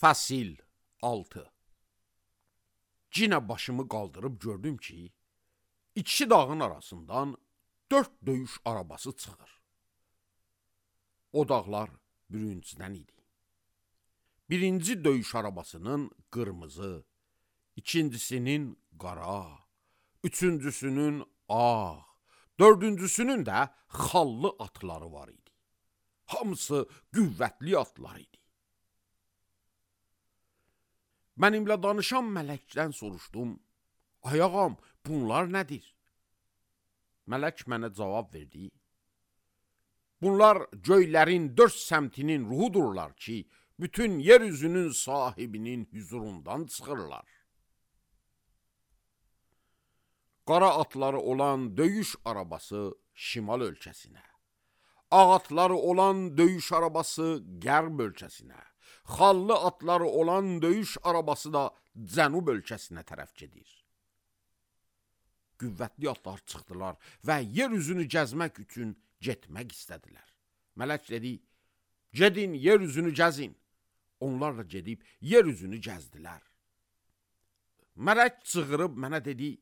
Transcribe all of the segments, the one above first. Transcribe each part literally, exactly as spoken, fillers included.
Fəsil altı. Cinə başımı qaldırıb gördüm ki, iki dağın arasından dörd döyüş arabası çıxır. O dağlar bürüncüdən idi. Birinci döyüş arabasının qırmızı, ikincisinin qara, üçüncüsünün ağ, dördüncüsünün də xallı atları var idi. Hamısı qüvvətli atlar idi. Mənimlə danışan mələkdən soruşdum, ay ağam, bunlar nədir? Mələk mənə cavab verdi, bunlar göylərin dörd səmtinin ruhudurlar ki, bütün yeryüzünün sahibinin hüzurundan çıxırlar. Qara atları olan döyüş arabası şimal ölkəsinə, ağ atları olan döyüş arabası qərb ölkəsinə, xallı atları olan döyüş arabası da cənub ölkəsinə tərəf gedir. Qüvvətli atlar çıxdılar və yer üzünü gəzmək üçün getmək istədilər. Mələk dedi, gedin yer üzünü gəzin. Onlar da gedib yer üzünü gəzdilər. Mələk çığırıb mənə dedi,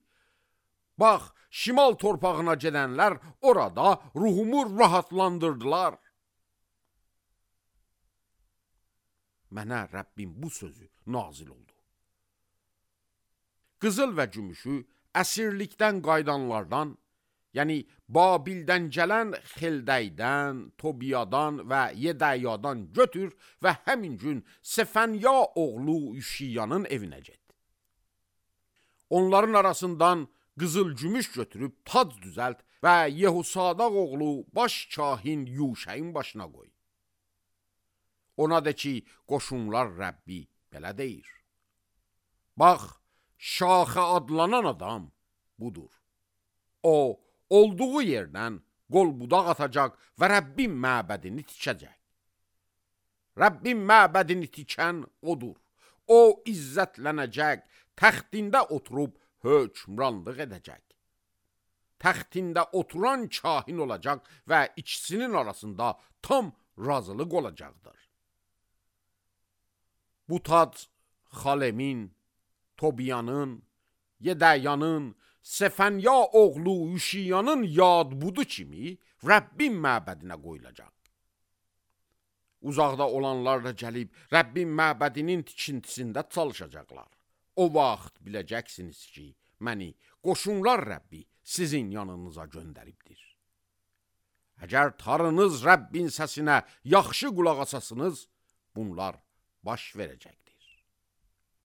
bax, şimal torpağına gedənlər orada ruhumu rahatlandırdılar. Mənə Rəbbim bu sözü nazil oldu. Qızıl və gümüşü əsirlikdən qaydanlardan, yəni Babildən gələn Xeldəydən, Tobiyadan və Yedəyadan götür və həmin gün Sefənya oğlu Üşiyanın evinə get. Onların arasından qızıl gümüş götürüb tac düzəlt və Yehusadaq oğlu baş kahin Yuşəyin başına qoy. Ona de ki, qoşunlar Rəbbi belə deyir. Bax, Şaxə adlanan adam budur. O, olduğu yerdən qol budaq atacaq və Rəbbin məbədini tikəcək. Rəbbin məbədini tikən odur. O, izzətlənəcək, təxtində oturub hökmranlıq edəcək. Təxtində oturan kahin olacaq və ikisinin arasında tam razılıq olacaqdır. Bu tac Xalemin, Tobiyanın, Yedəyanın, Sefənya oğlu Üşiyanın yad budu kimi Rəbbin məbədinə qoyulacaq. Uzaqda olanlar da gəlib Rəbbin məbədinin tikintisində çalışacaqlar. O vaxt biləcəksiniz ki, məni qoşunlar Rəbbi sizin yanınıza göndəribdir. Əgər tarınız Rəbbin səsinə yaxşı qulaq asasınız, bunlar baş verəcəkdir.